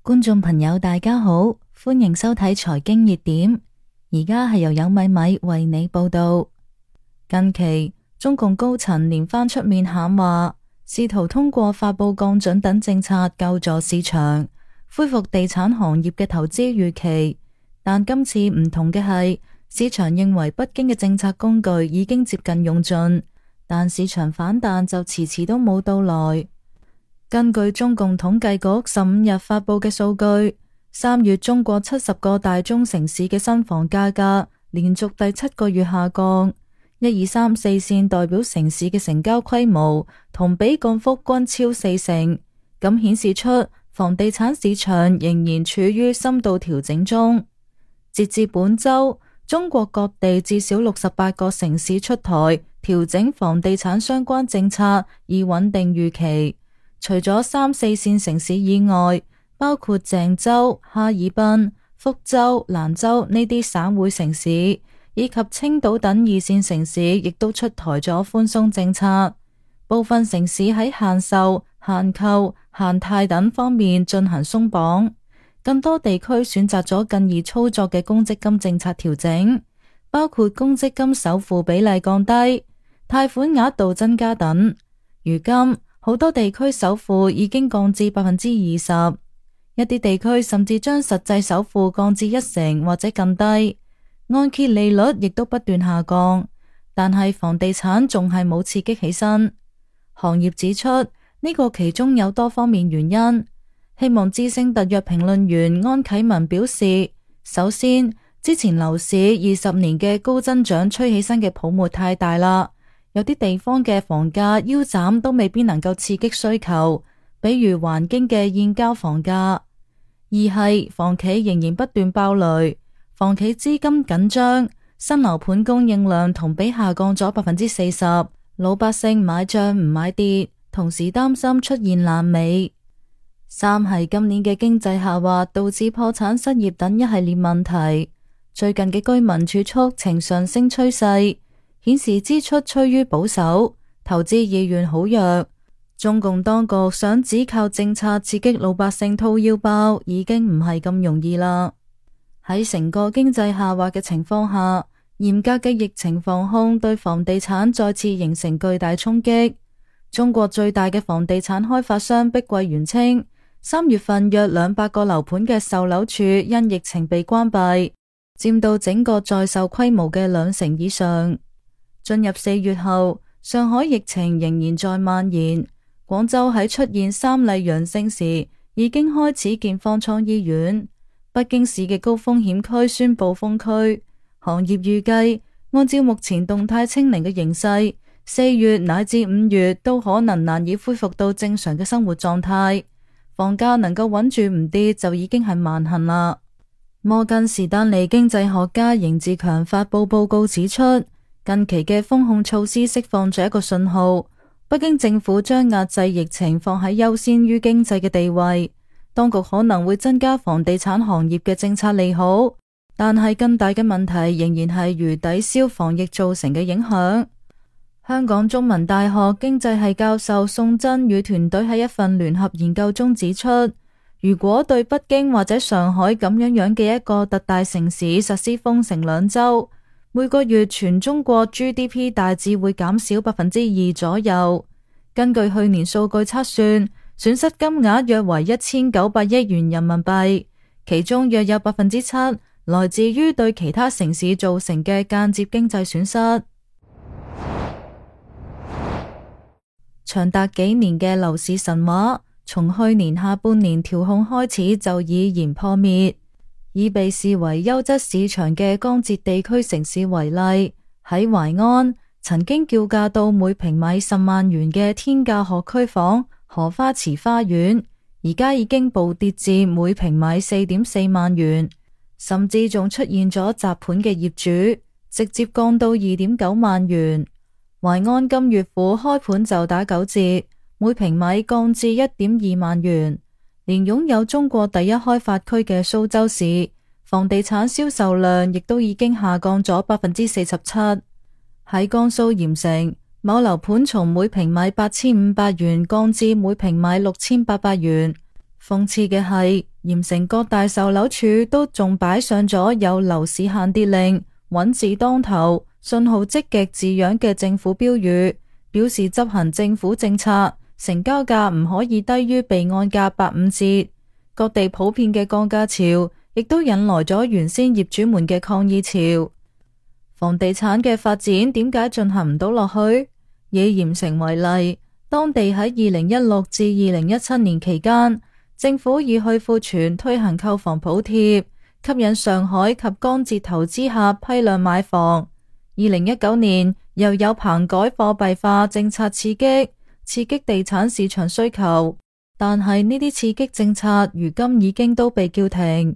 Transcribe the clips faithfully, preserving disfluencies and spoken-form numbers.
觀眾朋友大家好，歡迎收睇財經熱點。而家係由有米米為你報道。近期中共高層連番出面喊話，試圖通過發佈降準等政策救助市場，恢復地產行業嘅投資預期。但今次唔同嘅係，市場認為北京嘅政策工具已經接近用盡，但市場反彈就遲遲都冇到來。根據中共統計局十五日發佈嘅數據，三月中國七十個大中城市嘅新房價格連續第七個月下降，一二三四線代表城市嘅成交規模同比降幅均超四成，咁顯示出房地產市場仍然處於深度調整中。截至本周，中國各地至少六十八個城市出台調整房地產相關政策，以穩定預期。除咗三四線城市以外，包括鄭州、哈爾濱、福州、蘭州呢啲省會城市，以及青島等二線城市，亦都出台咗寬鬆政策。部分城市喺限售、限購、限貸等方面進行鬆綁，更多地區選擇咗更易操作嘅公積金政策調整，包括公積金首付比例降低、貸款額度增加等。如今，好多地區首付已經降至百分之二十，一啲地區甚至將實際首付降至一成或者更低，按揭利率亦都不斷下降，但係房地產仲係冇刺激起身。行業指出，呢個其中有多方面原因。希望之聲特約評論員安啟文表示，首先，之前樓市二十年嘅高增長吹起身嘅泡沫太大啦。有啲地方嘅房價腰斬都未必能夠刺激需求，比如環京嘅現交房價。二係房企仍然不斷爆雷，房企資金緊張，新樓盤供應量同比下降咗百分之四十，老百姓買漲唔買跌，同時擔心出現爛尾。三係今年嘅經濟下滑導致破產失業等一系列問題，最近嘅居民儲蓄呈上升趨勢，顯示支出趨於保守，投資意願好弱。中共當局想只靠政策刺激老百姓掏腰包，已經唔係咁容易啦。喺成個經濟下滑嘅情況下，嚴格嘅疫情防控對房地產再次形成巨大衝擊。中國最大嘅房地產開發商碧桂園稱，三月份約兩百個樓盤嘅售樓處因疫情被關閉，佔到整個在售規模嘅兩成以上。進入四月後，上海疫情仍然在蔓延。廣州喺出現三例陽性時，已經開始建方艙醫院。北京市嘅高風險區宣布封區。行業預計，按照目前動態清零嘅形勢，四月乃至五月都可能難以恢復到正常嘅生活狀態。房價能夠穩住唔跌就已經係萬幸啦。摩根士丹利經濟學家邢志強發佈報告指出，近期嘅封控措施釋放咗一個信號，北京政府將壓制疫情放喺優先於經濟嘅地位，當局可能會增加房地產行業嘅政策利好，但係更大嘅問題仍然係如抵消防疫造成嘅影響。香港中文大學經濟系教授宋真與團隊喺一份聯合研究中指出，如果對北京或者上海咁樣樣嘅一個特大城市實施封城兩週，每個月全中國 G D P 大致會減少百分之二左右。根據去年數據測算，損失金額約為一千九百億元人民幣，其中約有百分之七來自於對其他城市造成嘅間接經濟損失。長達幾年嘅樓市神話，從去年下半年調控開始就已然破滅。以被視為優質市場嘅江浙地區城市為例，喺淮安曾經叫價到每平米十萬元嘅天價學區房荷花池花園，而家已經暴跌至每平米四點四萬元，甚至仲出現咗砸盤嘅業主，直接降到二點九萬元。淮安今月府開盤就打九折，每平米降至一點二萬元。連擁有中國第一開發區嘅蘇州市，房地產銷售量亦都已經下降咗百分之四十七。喺江蘇鹽城，某樓盤從每平米八千五百元降至每平米六千八百元。諷刺嘅係，鹽城各大售樓處都仲擺上咗有樓市限跌令、穩字當頭、信號積極字樣嘅政府標語，表示執行政府政策，成交價唔可以低於備案價八五折。各地普遍嘅降價潮，亦都引來咗原先業主們嘅抗議潮。房地產嘅發展點解進行唔到落去？以鹽城為例，當地喺二零一六至二零一七年期間，政府以去庫存推行購房補貼，吸引上海及江浙投資客批量買房。二零一九年又有棚改貨幣化政策刺激，刺激地產市場需求，但係呢啲刺激政策如今已經都被叫停。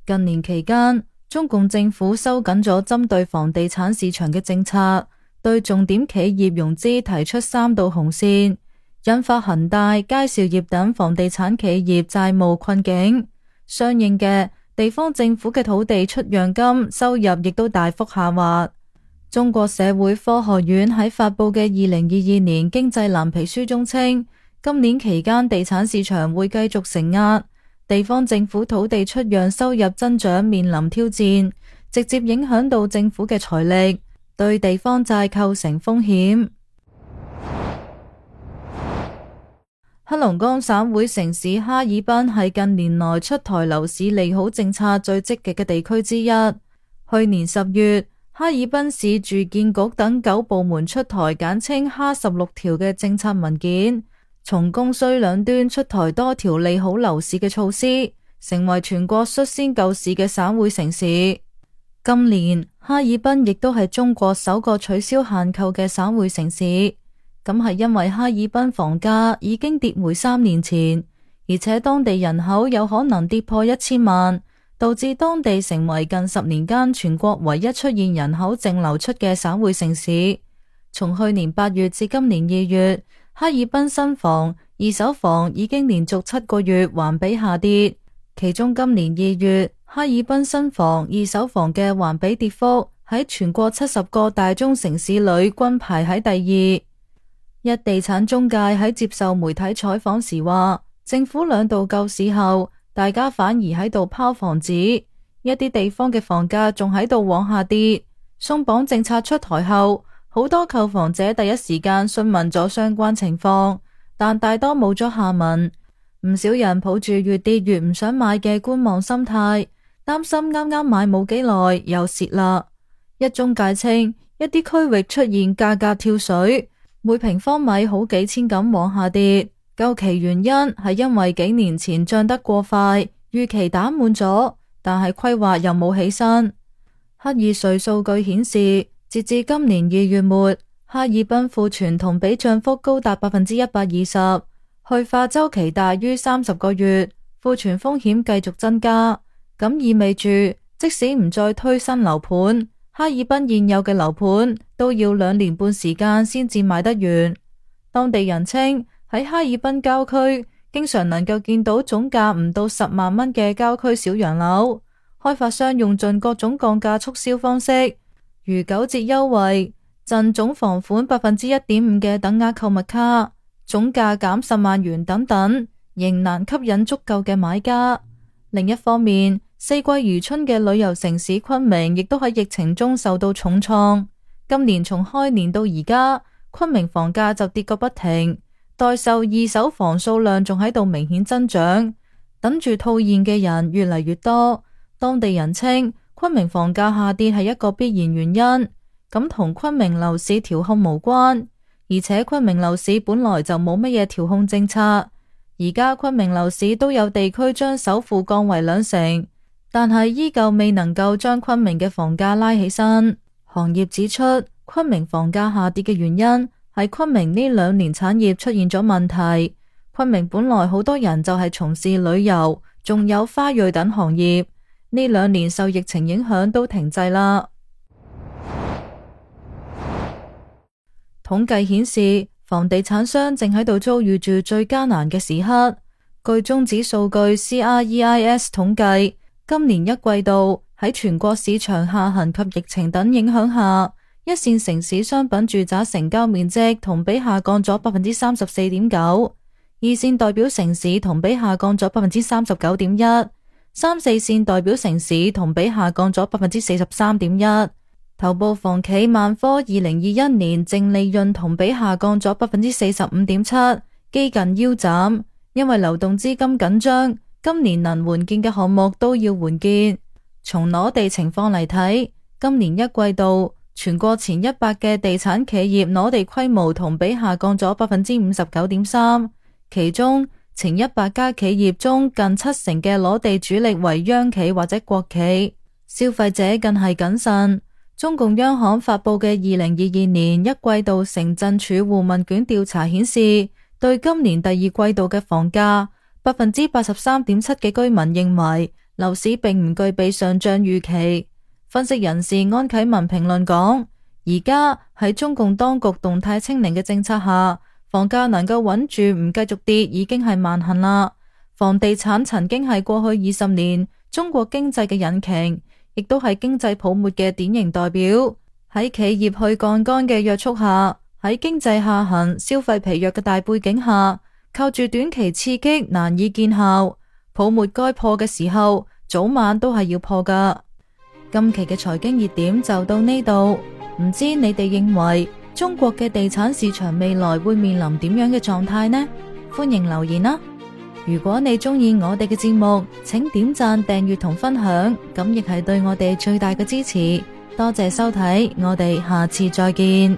近年期間，中共政府收緊咗針對房地產市場嘅政策，對重點企業融資提出三道紅線，引發恒大、佳兆業等房地產企業債務困境。相應嘅，地方政府嘅土地出讓金收入亦都大幅下滑。中國社會科學院喺發佈嘅二零二二年經濟藍皮書中稱，今年期間地產市場會繼續承壓，地方政府土地出讓收入增長面臨挑戰，直接影響到政府嘅財力，對地方債構成風險。黑龍江省會城市哈爾濱係近年來出台樓市利好政策最積極嘅地區之一。去年十月，哈爾濱市住建局等九部門出台簡稱哈十六條嘅政策文件，從供需兩端出台多條利好樓市嘅措施，成為全國率先救市嘅省會城市。今年哈爾濱亦都係中國首個取消限購嘅省會城市，咁係因為哈爾濱房價已經跌回三年前，而且當地人口有可能跌破一千萬，導致當地成為近十年間全國唯一出現人口淨流出嘅省會城市。從去年八月至今年二月，哈爾濱新房、二手房已經連續七個月環比下跌，其中今年二月，哈爾濱新房、二手房嘅環比跌幅喺全國七十個大中城市裏均排喺第二。一地產中介喺接受媒體採訪時話，政府兩度救市後，大家反而喺度拋房子，一啲地方嘅房價仲喺度往下跌。鬆綁政策出台後，好多購房者第一時間詢問咗相關情況，但大多冇咗下文。唔少人抱住越跌越唔想買嘅觀望心態，擔心啱啱買冇幾耐又蝕啦。一中介稱，一啲區域出現價格跳水，每平方米好幾千咁往下跌。究其原因係因為幾年前漲得過快，預期打滿咗，但係規劃又冇起身。赫爾瑞數據顯示，截至今年二月末，哈爾濱庫存同比漲幅高達百分之一百二十，去化周期大於三十個月，庫存風險繼續增加。咁意味住，即使唔再推新樓盤，哈爾濱現有嘅樓盤都要兩年半時間先至賣得完。當地人稱，喺哈爾濱郊區，經常能夠見到總價唔到十萬蚊嘅郊區小洋樓，開發商用盡各種降價促銷方式，如九折優惠、贈總房款百分之一點五嘅等額購物卡、總價減十萬元等等，仍難吸引足夠嘅買家。另一方面，四季如春嘅旅遊城市昆明亦都喺疫情中受到重創。今年從開年到而家，昆明房價就跌個不停。待售二手房數量仲喺度明顯增長，等住套現嘅人越嚟越多。當地人稱，昆明房價下跌係一個必然原因，咁同昆明樓市調控無關。而且昆明樓市本來就冇乜嘢調控政策，而家昆明樓市都有地區將首付降為兩成，但係依舊未能夠將昆明嘅房價拉起身。行業指出，昆明房價下跌嘅原因係昆明呢兩年產業出現咗問題。昆明本來好多人就係從事旅遊，仲有花卉等行業，呢兩年受疫情影響都停滯啦。統計顯示，房地產商正喺度遭遇住最艱難嘅時刻。據中指數據 C R E I S 統計，今年一季度喺全國市場下行及疫情等影響下，一線城市商品住宅成交面積同比下降咗百分之三十四點九，二線代表城市同比下降咗百分之三十九點一，三四線代表城市同比下降咗百分之四十三點一。頭部房企萬科二零二一年淨利潤同比下降咗百分之四十五點七，幾近腰斬，因為流動資金緊張，今年能援建嘅項目都要援建。從攞地情況嚟睇，今年一季度全國前一百嘅地產企業攞地規模同比下降咗百分之五十九點三，其中前一百家企業中近七成嘅攞地主力為央企或者國企，消費者更係謹慎。中共央行發佈嘅二零二二年一季度城鎮住戶問卷調查顯示，對今年第二季度嘅房價，百分之八十三點七嘅居民認為樓市並唔具備上漲預期。分析人士安啟文評論講，而家喺中共當局動態清零嘅政策下，房價能夠穩住唔繼續跌已經係萬幸啦。房地產曾經係過去二十年中國經濟嘅引擎，亦都係經濟泡沫嘅典型代表。喺企業去槓桿嘅約束下，喺經濟下行、消費疲弱嘅大背景下，靠住短期刺激難以見效。泡沫該破嘅時候，早晚都係要破噶。今期嘅財經熱點就到呢度，唔知你哋認為中國嘅地產市場未來會面臨點樣嘅狀態呢？歡迎留言啦！如果你中意我哋嘅節目，請點讚、訂閱同分享，咁亦係對我哋最大嘅支持。多謝收睇，我哋下次再見。